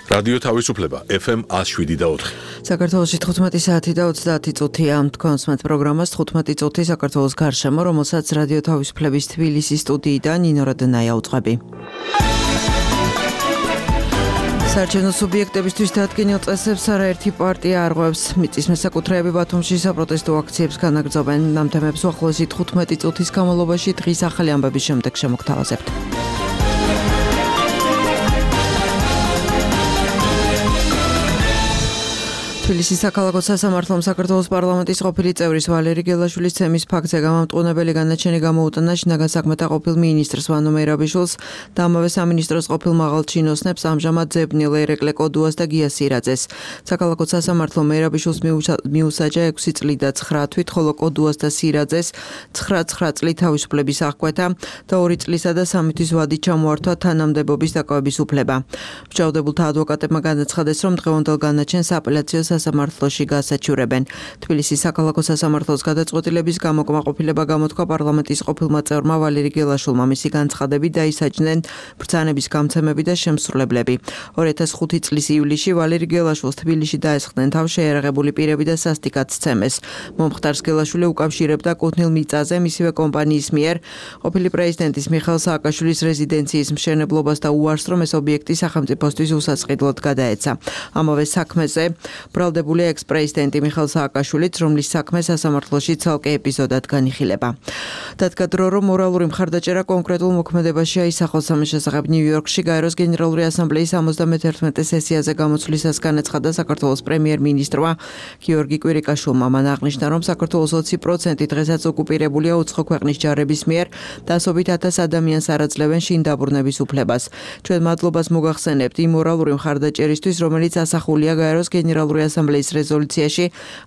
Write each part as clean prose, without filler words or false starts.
რადიო თავისუფლება FM 107.4. საქართველოში 15 საათი და 30 წუთია. თქვენს მათ პროგრამას 15 წუთი საქართველოს გარშემო, რომელსაც რადიო თავისუფლების თბილისის სტუდიიდან ნინო რადნაია უძღვები. საარჩევნო სუბიექტებისთვის დადგენილ წესებს არაერთი პარტია არღვევს. მიწის მესაკუთრეები ბათუმში საპროტესტო აქციებს განაგრძობენ. ამ თემებს უახლოესი 15 წუთის განმავლობაში დღის ახალი ამბების შემდეგ შემოგთავაზებთ. თბილისის საქალაქო სასამართლომ საქართველოს პარლამენტის ყოფილი წევრის ვალერი გელაშვილის ცემის ფაქტზე გამამტყუნებელი განაჩენი გამოუტანა შინაგან საქმეთა ყოფილ მინისტრს ვანო მერაბიშვილს და ამავე სამინისტროს ყოფილ მაღალ ჩინოსნებს ამჟამად ძებნილ ერეკლე კოდუას და გია სირაძეს. საქალაქო სასამართლომ მერაბიშვილს მიუსაჯა 6 წლით და 9 თვით, ხოლო კოდუას და სირაძეს 9 წლით თავისუფლების აღკვეთა და 2 წლისა და 3 თვის ვადით ჩამოართვა თანამდებობის დაკავების უფლება. მსჯავრდებულთა ადვოკატებმა განაცხადეს, რომ დღევანდელ განაჩენს აპელაციო სასამართლოში გასაჩივრებენ. თბილისის საქალაქო სასამართლოს გადაწყვეტილების გამოკმაყოფილება გამოთქვა პარლამენტის ყოფილმა წევრმა ვალერი გელაშვილმა. მისი განცხადებით დაისაჯნენ ბრძანების გამცემები და შემსრულებლები. 2005 წლის ივლისში ვალერი გელაშვილს თბილისში დაესხდნენ თავშეერაღებული პირები და სასტიკად სცემეს. მომხდარს გელაშვილი უკავშირებდა კუთვნილ მიწაზე მისივე კომპანიის მიერ ყოფილი პრეზიდენტის მიხეილ სააკაშვილის რეზიდენციის მშენებლობას და უარს, რომ ეს ობიექტი სახელმწიფოსთვის უსაწყიდლოდ გადაეცა. ამავე საქმეზე ბრალდებულია ექს-პრეზიდენტი მიხეილ სააკაშვილიც, რომლის საქმე სასამართლოში ცალკე ეპიზოდად განიხილება. დადგა დრო, რომ მორალური მხარდაჭერა კონკრეტულ მოქმედებაში აისახოს. ამის შესახებ ნიუ-იორკში გაეროს გენერალური ასამბლეის 71 სესიაზე გამოცვლისას განაცხადა საქართველოს პრემიერ-მინისტრმა გიორგი კვირიკაშვილმა. მან აღნიშნა, რომ საქართველოს 20% დღესაც ოკუპირებულია უცხო ქვეყნის ჯარების მიერ, დასობით 1000 ადამიანს არაძლევენ შინ დაბრუნების უფლებას. ჩვენ მადლობას მოგახსენებთ იმ მორალური მხარდაჭერისთვის, რომელიც ასახულია გაეროს გენერალური ასამბლეის რეზოლუციაში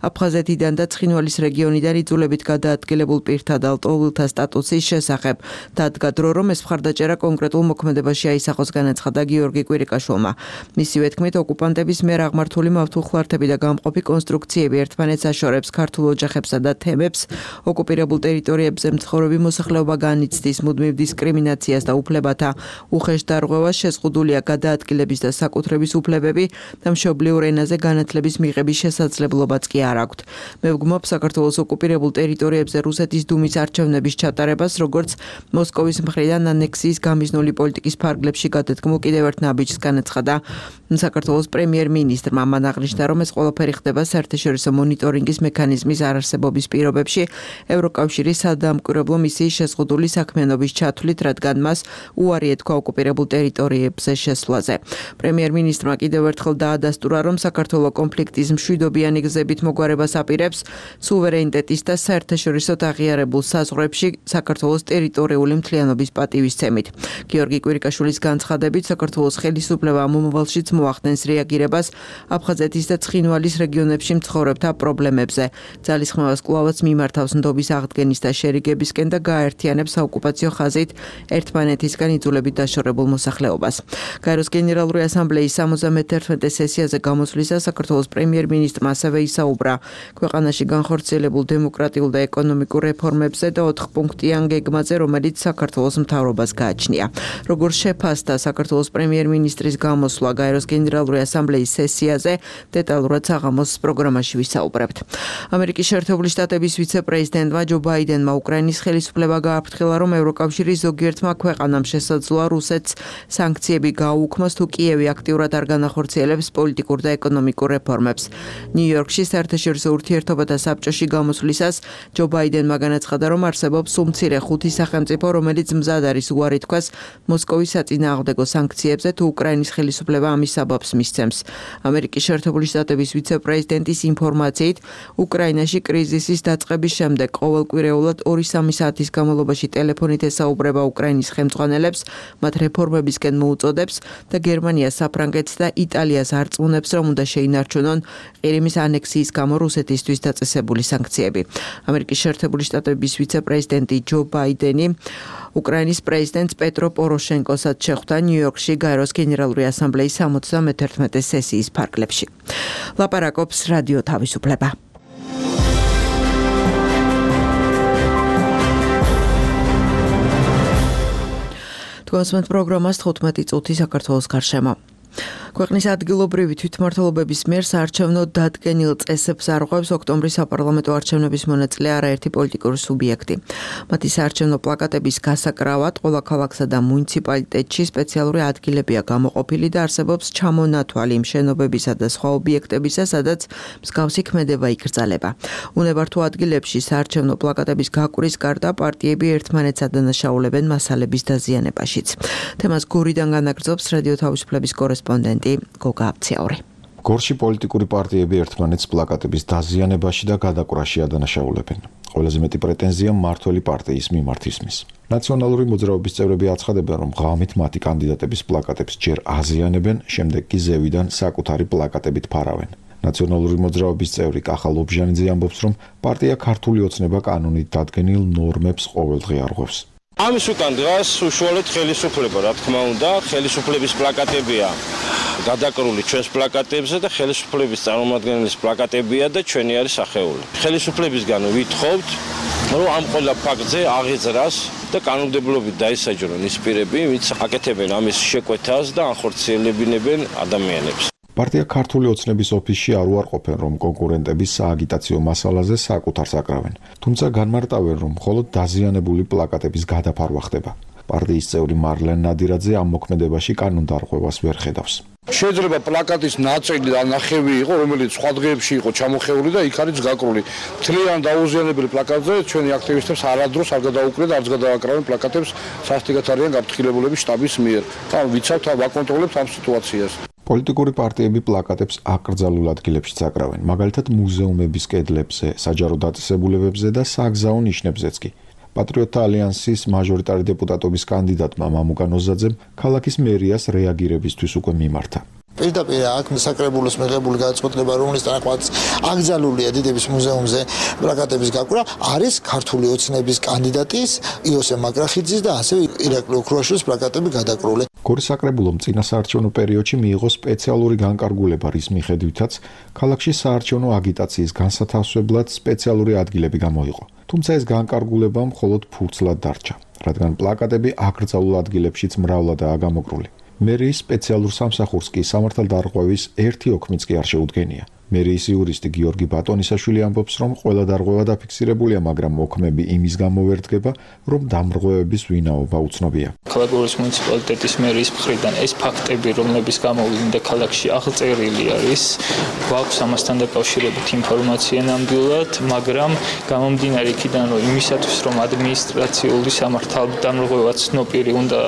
აფხაზეთიდან და ცხინვალის რეგიონიდან იძულებით გადაადგილებულ პირთა და ლტოლვილთა სტატუსის შესახებ. დადგა დრო, რომ ეს მხარდაჭერა კონკრეტულ მოქმედებაში აისახოს, განაცხადა გიორგი კვირიკაშვილმა. მისივე თქმით, ოკუპანტების მიერ აღმართული მავთულხლართები და გამყოფი კონსტრუქციები ერთმანეთს აშორებს ქართულ ოჯახებსა და თემებს, ოკუპირებულ ტერიტორიებზე მცხოვრები მოსახლეობა განიცდის მუდმივ დისკრიმინაციას და უფლებათა უხეშ დარღვევას, შეზღუდულია გადაადგილების და საკუთრების უფლებები და მშობლიურ ენაზე განათლების მიღების შესაძლებლობაც კი არ აქვთ. მე ვგმობ საქართველოს ოკუპირებულ ტერიტორიებზე რუსეთის დუმის არჩევნების ჩატარებას, როგორც მოსკოვის მხრიდან ანექსიის გამიზნული პოლიტიკის ფარგლებში გადადგმულ კიდევ ერთ ნაბიჯს, განაცხადა საქართველოს პრემიერ-მინისტრმა. მან აღნიშნა, რომ ეს ყველაფერი ხდება საერთაშორისო მონიტორინგის მექანიზმის არარსებობის პირობებში ევროკავშირის სადამკვირვებლო მისიის შეზღუდული საქმიანობის ჩათვლით, რადგან მას უარი ეთქვა ოკუპირებულ ტერიტორიებზე შესვლაზე. პრემიერ-მინისტრმა კიდევ ერთხელ დაადასტურა, რომ საქართველოს კონფლიქტის მშვიდობიანი გზებით მოგვარებას აპირებს სუვერენიტეტის და საერთაშორისო აღიარებულ საზღვრებში საქართველოს ტერიტორიული მთლიანობის პატივისცემით. გიორგი კვირიკაშვილის განცხადებით, საქართველოს ხელისუფლება მომავალშიც მოახდენს რეაგირებას აფხაზეთის და ცხინვალის რეგიონებში მცხოვრებთა პრობლემებზე. ძალისხმევას კვლავაც მიმართავს ნდობის აღდგენის და შერიგებისკენ და გააერთიანებს საოკუპაციო ხაზით ერთმანეთისგან იძულებით დაშორებულ მოსახლეობას. გაეროს გენერალური ასამბლეის 71 სესიაზე გამოსვლისას საქართველოს პრემიერ-მინისტრმა ასევე ისაუბრა ქვეყანაში განხორციელებულ დემოკრატიულ და ეკონომიკურ რეფორმებზე და 4 პუნქტიან გეგმაზე, რომელიც საქართველოს მთავრობას გააჩნია. როგორც შეფასდა საქართველოს პრემიერ-მინისტრის გამოსვლა გაეროს გენერალური ასამბლეის სესიაზე, დეტალურად საღამოს პროგრამაში ვისაუბრებთ. ამერიკის შეერთებული შტატების ვიცე-პრეზიდენტმა ჯო ბაიდენმა უკრაინის ხელისუფლება გააფრთხილა, რომ ევროკავშირის ზოგიერთმა ქვეყანამ შესაძლოა რუსეთს სანქციები გააუქმოს, თუ კიევი აქტიურად არ განახორციელებს პოლიტიკურ და ეკონომიკურ რეფორმებს. ნიუ-იორკში საერთაშორისო ურთიერთობათა საბჭოში გამოსვლისას ჯო ბაიდენმა განაცხადა, რომ არსებობს სულ მცირე 5 სახელმწიფო, რომელიც მზად არის უარი თქვას მოსკოვის საწინააღმდეგო სანქციებზე, თუ უკრაინის ხელისუფლება ამის საბაბს მისცემს. ამერიკის შეერთებული შტატების ვიცე-პრეზიდენტის ინფორმაციით, უკრაინაში კრიზისის დაწყების შემდეგ ყოველკვირეულად 2-3 საათის განმავლობაში ტელეფონით ესაუბრება უკრაინის ხელმძღვანელებს, მათ რეფორმებისკენ მოუწოდებს და გერმანიას, საფრანგეთს და იტალიას არწმუნებს, რომ უნდა შეინარჩუნონ ყირიმის ანექსიის გამო რუსეთისთვის დაწესებული სანქციები. ამერიკის შეერთებული შტატების ვიცე-პრეზიდენტი ჯო ბაიდენი უკრაინის პრეზიდენტს პეტრო პოროშენკოსაც შეხვდა ნიუ-იორკში გაეროს გენერალური ასამბლეის 71 სესიის ფარგლებში. ლაპარაკობს რადიო თავისუფლება. თქვენს პროგრამას 15 წუთი საქართველოს გარშემო. ქვეყნის ადგილობრივი თვითმმართველობების მიერ საარჩევნო დადგენილ წესებს არღვევს ოქტომბრის საპარლამენტო არჩევნების მონაწილე არაერთი პოლიტიკური სუბიექტი. მათი საარჩევნო პლაკატების გასაკრავად ყველა ქალაქსა და მუნიციპალიტეტში სპეციალური ადგილებია გამოყოფილი და არსებობს ჩამონათვალი იმ შენობებისა და სხვა ობიექტებისა, სადაც მსგავსი ქმედება იკრძალება. უნებართო ადგილებში საარჩევნო პლაკატების გაკვრის გარდა პარტიები ერთმანეთს ადანაშაულებენ მასალების დაზიანებაშიც. თემას გორიდან განაგრძობს რადიო თავისუფლების კორესპონდენტი გოგა აფციაური. გორში პოლიტიკური პარტიები ერთმანეთს პლაკატების დაზიანებაში და გადაკვრაში ადანაშაულებენ. ყველაზე მეტი პრეტენზია მმართველი პარტიის მიმართ ისმის. ნაციონალური მოძრაობის წევრები აცხადებენ, რომ ღამით მათი კანდიდატების პლაკატებს ჯერ აზიანებენ, შემდეგ კი ზევიდან საკუთარი პლაკატებით ფარავენ. ნაციონალური მოძრაობის წევრი კახა ლობჟანიძე ამბობს, რომ პარტია ქართული ოცნება კანონით დადგენილ ნორმებს ყოველდღე არღვევს. ამის უკან დღეს უშუალოდ ხელისუფლება, რა თქმა უნდა, ხელისუფლების პლაკატებია გადაკრული ჩვენს პლაკატებზე და ხელისუფლების წარმომადგენლის პლაკატებია და ჩვენი არის სახეული. ხელისუფლებისგან ვითხოვთ, რომ ამ ყველა ფაქტზე აღეძრას და კანონმდებლობით დაისაჯრონ ის პირები, ვინც აკეთებენ ამის შეკვეთას და ახორციელებინებენ ადამიანებს. პარტია ქართული ოცნების ოფისში არ უარყოფენ, რომ კონკურენტების სააგიტაციო მასალაზე საკუთარს აკრავენ, თუმცა განმარტავენ, რომ მხოლოდ დაზიანებული პლაკატების გადაფარვა ხდება. პარტიის წევრი მარლენ ნადირაძე ამ მოქმედებაში კანონდარღვევას ვერ ხედავს. შეიძლება პლაკატის ნაწილი და ნახევი იყო, რომელიც სხვა დღეებში იყო ჩამოხეული და იქ არის გაკრული. მთლიან დაუზიანებელი პლაკატზე ჩვენი აქტივისტებს არადროს არ გადაუკრეთ და არც გადააკრავენ პლაკატებს სასტიკად არიან გაფრთხილებულების შტაბის მიერ. თან ვიცავთ, ვაკონტროლებთ ამ სიტუაციას. პოლიტიკური პარტიები პლაკატებს აკრძალულ ადგილებშიც აკრავენ, მაგალითად მუზეუმების კედლებზე, საჯარო დაწესებულებებზე და საგზაო ნიშნებზეც კი. პატრიოტთა ალიანსის მაჟორიტარი დეპუტატობის კანდიდატმა მამუკა ნოზაძემ ქალაქის მერიას რეაგირებისთვის უკვე მიმართა. პირდაპირ აქ საკრებულოს მიღებული გადაწყვეტილება, რომლის თანახმად აკრძალულია დიდების მუზეუმზე პლაკატების გაკვირა, არის ქართული ოცნების კანდიდატის იოსებ მაგრახიძის და ასევე ირაკლი ოქროაშვილის პლაკატები გადაკრული. გორის საკრებულომ წინა საარჩევნო პერიოდში მიიღო სპეციალური განკარგულება, რის მიხედვითაც ქალაქში საარჩევნო აგიტაციის განსათავსებლად სპეციალური ადგილები გამოიყო. თუმცა ეს განკარგულება მხოლოდ ფურცლად დარჩა, რადგან პლაკატები აკრძალულ ადგილებშიც მრავლადაა გამოკრული. მერიის სპეციალურ სამსახურს კი სამართალდარღვევის ერთი ოქმიც კი არ შეუდგენია. მერიის იურისტი გიორგი ბატონისაშვილი ამბობს, რომ ყველა დარღვევა დაფიქსირებულია, მაგრამ მოქმედი იმის გამო ვერ დგება, რომ დამრღვევების ვინაობა უცნობია. ქალაქგორის მუნიციპალიტეტის მერიის მხრიდან ეს ფაქტები, რომლების გამოვლინდა ქალაქში აღწერილი არის, გვაქვს ამასთან დაკავშირებით ინფორმაცია ნამდვილად, მაგრამ გამომდინარე იქიდან, რომ იმისათვის, რომ ადმინისტრაციული სამართალდამრღვევა ცნობილი უნდა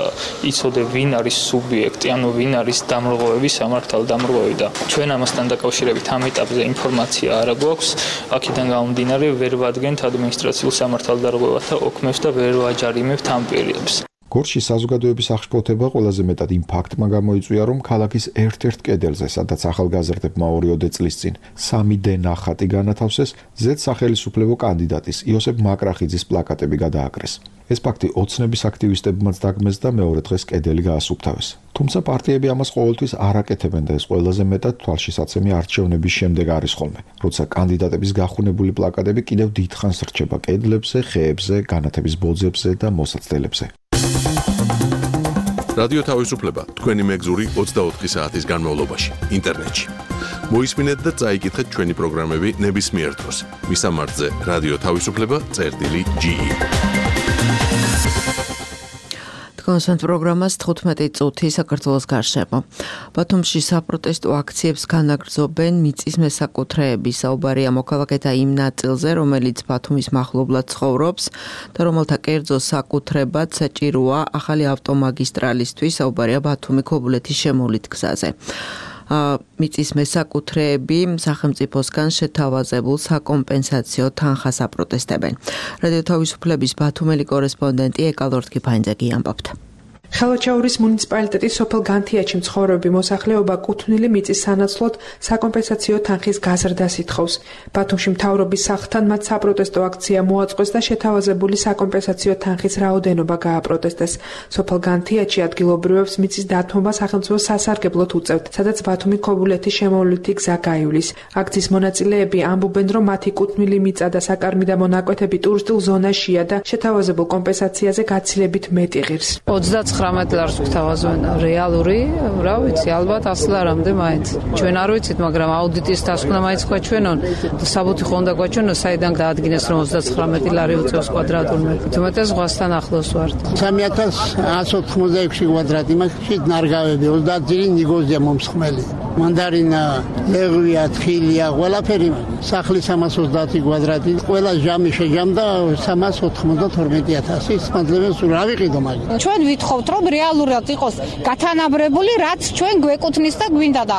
იცოდე, ვინ არის სუბიექტი, ანუ ვინ არის დამრღვევების სამართალდამრღვევი და ჩვენ ამასთან დაკავშირებით ამ ეტაპზე ინფორმაცია არ გვაქვს, აქედან გამომდინარე ვერ ვადგენთ ადმინისტრაციულ სამართალდარღვევათა ოქმებს და ვერ ვაჯარიმებთ ამ პირებს. გორში საზოგადოების აღშფოთება ყველაზე მეტად იმ ფაქტმა გამოიწვია, რომ ქალაქის ერთ-ერთ კედელზე, სადაც ახალგაზრდებმა 2 წლის წინ 3D ნახატი განათავსეს, ზედ სახელისუფლებო კანდიდატის იოსებ მაგრახიძის პლაკატები გადააკრეს. ეს ფაქტი ოცნების აქტივისტებმაც დაგმეს და მეორე დღეს კედელი გაასუფთავეს. თუმცა პარტიები ამას ყოველთვის არ აკეთებენ და ეს ყველაზე მეტად თვალშისაცემი არჩევნების შემდეგ არის ხოლმე, როცა კანდიდატების გახუნებული პლაკატები კიდევ დიდხანს რჩება კედლებზე, ხეებზე, განათების ბოძებზე და მოსაცდელებზე. რადიო თავისუფლება თქვენი მეგზური 24 საათის განმავლობაში ინტერნეტში. მოისმინეთ და წაიკითხეთ ჩვენი პროგრამები ნებისმიერ დროს. მისამართზე რადიო თავისუფლება.ge. კონსერტ პროგრამას 15 წუთი საქართველოს გარშემო. ბათუმში საპროტესტო აქციებს განაგრძობენ მიწის მესაკუთრეები. საუბარია მოქალაქეთა იმ ნაწილზე, რომელიც ბათუმის მახლობლად ცხოვრობს და რომელთა კერძო საკუთრებად საჭიროა ახალი ავტომაგისტრალისთვის. საუბარია ბათუმი ქობულეთის შემოვლით გზაზე. მიწის მესაკუთრეები სახელმწიფოსგან შეთავაზებულ საკომპენსაციო თანხას აპროტესტებენ. რადიო თავისუფლების ბათუმელი კორესპონდენტი ეკალორთკი ფაინძეგი ამბობთ. ხელოჩაურის მუნიციპალიტეტის სოფელ განთიაჩი მცხოვრები მოსახლეობა კუთვნილი მიწის სანაცვლოდ საკომპენსაციო თანხის გაზრდას ითხოვს. ბათუმში მთავრობის სახლთან მათ საპროტესტო აქცია მოაწყვეს და შეთავაზებული საკომპენსაციო თანხის რაოდენობა გააპროტესტეს. სოფელ განთიაჩი ადგილობრივებს მიწის დათმობა სახელმწიფო სასარგებლოდ უწევთ, სადაც ბათუმი ქობულეთის შემოვლითი გზა გაივლის. აქციის მონაწილეები ამბობენ, რომ მათი კუთვნილი მიწა და საკარმი და მონაკვეთები ტურისტულ ზონაშია და შეთავაზებულ კომპენსაციაზე გაცილებით მეტი ღირს. 29 19 ლარს გვთავაზობენ. რეალური, რა ვიცი, ალბათ 100 ლარამდე მაინც. ჩვენ არ ვიცით, მაგრამ აუდიტის დასკვნა მაინც გვაჩვენონ. საბუთი ხო უნდა გვაჩვენოს, საიდან დაადგინეს, რომ 39 ლარი უწევს კვადრატულ მეტრს. თუმცა ზღვასთან ახლოს ვართ. 3186 კვადრატი მაქვს ნარგავები 30 ძილი ნიგოზია მომსხმელი. მანდარინა, ლეღვია, თხილია, ყველაფერი მაქვს. სახლი 330 კვადრატი, ყველა ჟამი შეჯამდა 392.000. მადლებს რა ვიყიდო მაგით. ჩვენ ვითხოვთ, რომ რეალურად იყოს გათანაბრებული, რაც ჩვენ გვეკუთვნის და გვინდა და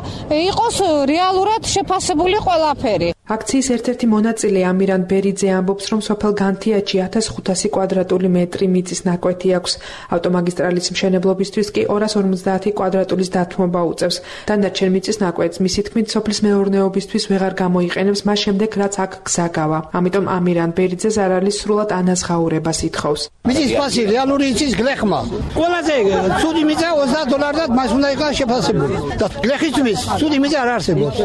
იყოს რეალურად შეფასებული ყველაფერი. აქციის ერთ-ერთი მონაწილე ამირან ბერიძე ამბობს, რომ სოფელ განთიაჩი 1500 კვადრატული მეტრი მიწის ნაკვეთი აქვს. ავტომაგისტრალის მშენებლობისთვის კი 250 კვადრატულის დათმობა უწევს. დანარჩენ მიწის ნაკვეთს მისი თქმით სოფლის მეურნეობისთვის ვეღარ გამოიყენებს მას შემდეგ, რაც აქ გზა გავა. ამიტომ ამირან ბერიძეს არ არის სრულად ანაზღაურებას ითხოვს. მიწის ფასი რეალური იცის გლეხმა. ყველაზე ცუდი მიწა $20 და მას უნდა იყოს შეფასებული. და გლეხისთვის ცუდი მიწა არ არსებობს.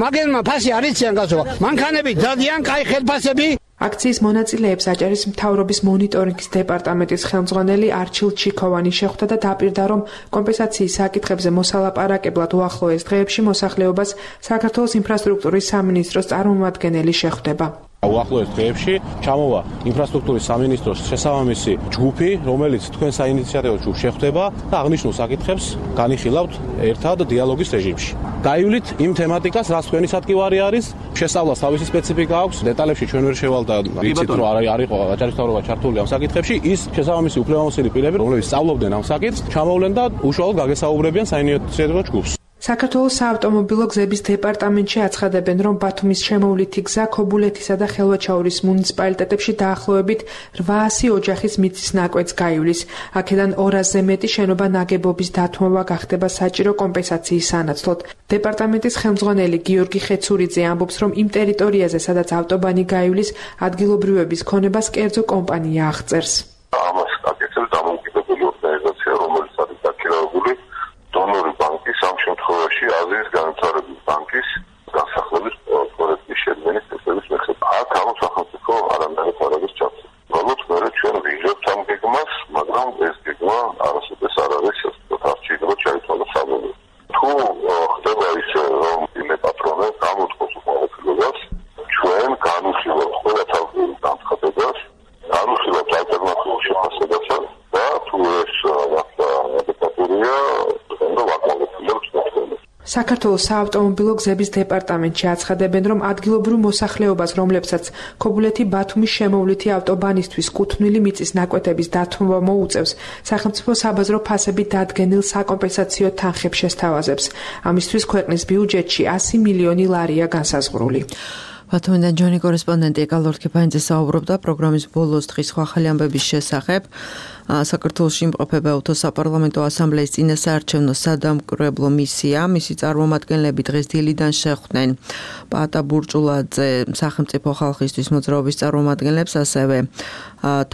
მაგერმა ფასი არ იციან გასო. მანქანები დადიან, კაი ხელფასები. აქციის მონაწილეებს აჭარის მთავრობის მონიტორინგის დეპარტამენტის ხელმძღვანელი არჩილ ჩიქოვანი შეხვდა და დაპირდა, რომ კომპენსაციის საკითხებზე მოსალაპარაკებლად უახლოეს დღეებში მოსახლეობას საქართველოს ინფრასტრუქტურის სამინისტროს წარმომადგენელი შეხვდება. უახლოეს დღეებში ჩამოვა ინფრასტრუქტურის სამინისტროს შესაბამისი ჯგუფი, რომელიც თქვენ საინიციატივო ჯგუფს შეხვდება და აღნიშნულ საკითხებს განიხილავთ ერთად დიალოგის რეჟიმში. დაივლით იმ თემატიკას, რაც თქვენი სათქმელი არის, შესწავლას თავისი სპეციფიკა აქვს, დეტალებში ჩვენ ვერ შევალ და ვიცით, რომ არ იყო აჭარის მთავრობა ჩართული ამ საკითხებში, ის შესაბამისი უფლებამოსილი პირები, რომლებიც სწავლობდნენ ამ საკითხს, ჩამოვლენ და უშუალოდ გაგესაუბრებიან საინიციატივო ჯგუფს. საქართველოს საავტომობილო გზების დეპარტამენტში აცხადებენ, რომ ბათუმის შემოვლითი გზა ქობულეთისა და ხელვაჩაურის მუნიციპალიტეტებში დაახლოებით 800 ოჯახის მიწის ნაკვეთს გაივლის. აქედან 200-ზე მეტი შენობა ნაგებობის დათმობა გახდება საჭირო კომპენსაციის სანაცვლოდ. დეპარტამენტის ხელმძღვანელი გიორგი ხეცურიძე ამბობს, რომ იმ ტერიტორიაზე, სადაც ავტობანი გაივლის, ადგილობრივების ქონებას კერძო კომპანია აღწერს. ამას აკეთებს დამოუკიდებელი ორგანიზაცია, რომელიც არის დაქირავებული დონორი ბანკის, ამ შემთხვევაში აზიის განვითარების ბანკის განსახლების პროექტის შედგენის წესების მიხედვით. აქ ამ სახელმწიფო არანაირ ფარაგებს ჩაწერს. ალბათ მე ჩვენ ვიჟებთ ამ გეგმას, მაგრამ ეს გეგმა არასოდეს არ არის არჩეულობა ჩაითვალა საბოლოოდ. თუ ხდება ისე, რომ იმე პატრონე გამოთქვას უყურებლობას, ჩვენ განვიხილავთ ყველა თავის განცხადებას, განვიხილავთ ალტერნატიულ შეფასებასაც და თუ ეს ადეკვატურია, საქართველოს საავტომობილო გზების დეპარტამენტში აცხადებენ, რომ ადგილობრივ მოსახლეობას, რომლებსაც ქობულეთი ბათუმის შემოვლითი ავტობანისთვის კუთვნილი მიწის ნაკვეთების დათმობა მოუწევს, სახელმწიფო საბაზრო ფასებით დადგენილ საკომპენსაციო თანხებს შესთავაზებს. ამისთვის ქვეყნის ბიუჯეტში 100 მილიონი ლარია განსაზღვრული. ბათუმიდან ჯონი კორესპონდენტი ეკალორქიფაინძე საუბრობდა პროგრამის ბოლოს დღის ხვალ ამბების შესახებ. საქართველოში იმყოფება ავტოსაპარლამენტო ასამბლეის წინასაარჩევნო სადამკვირვებლო მისია. მისი წარმომადგენლები დღეს დილიდან შეხვდნენ პაატა ბურჭულაძე სახელმწიფო ხალხისთვის მოძრაობის წარმომადგენლებს, ასევე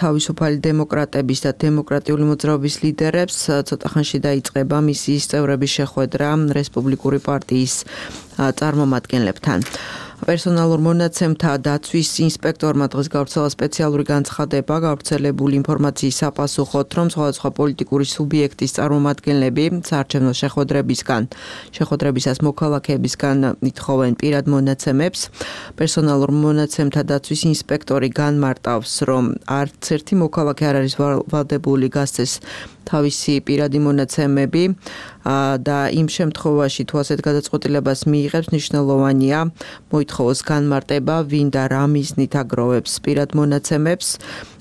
თავისუფალი დემოკრატების და დემოკრატიული მოძრაობის ლიდერებს. ცოტა ხანში დაიწყება მისიის წევრების შეხვედრა რესპუბლიკური პარტიის წარმომადგენლებთან. პერსონალურ მონაცემთა დაცვის ინსპექტორმა დღეს გავრცელა სპეციალური განცხადება გავრცელებული ინფორმაციის საპასუხოდ, რომ სხვადასხვა პოლიტიკური სუბიექტის წარმომადგენლები საარჩევნო შეხვედრებისას მოქალაქეებისგან ითხოვენ პირად მონაცემებს. პერსონალურ მონაცემთა დაცვის ინსპექტორი განმარტავს, რომ არც ერთი მოქალაქე არ არის ვალდებული გასცეს თავისი პირადი მონაცემები და იმ შემთხვევაში თუ ასეთ გადაწყვეტილებას მიიღებს, მნიშვნელოვანია მოითხოვოს განმარტება, ვინ და რა მიზნით აგროვებს პირად მონაცემებს,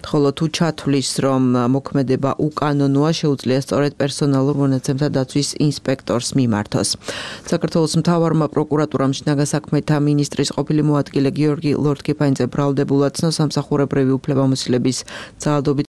ხოლო თუ ჩათვლის, რომ მოქმედება უკანონოა, შეუძლია სწორედ პერსონალურ მონაცემთა დაცვის ინსპექტორს მიმართოს. საქართველოს მთავარმა პროკურატურამ შინაგან საქმეთა მინისტრის ყოფილი მოადგილე გიორგი ლორთქიფაინძე ბრალდებულად ცნო სამსახურებრივი უფლებამოსილების ძალადობით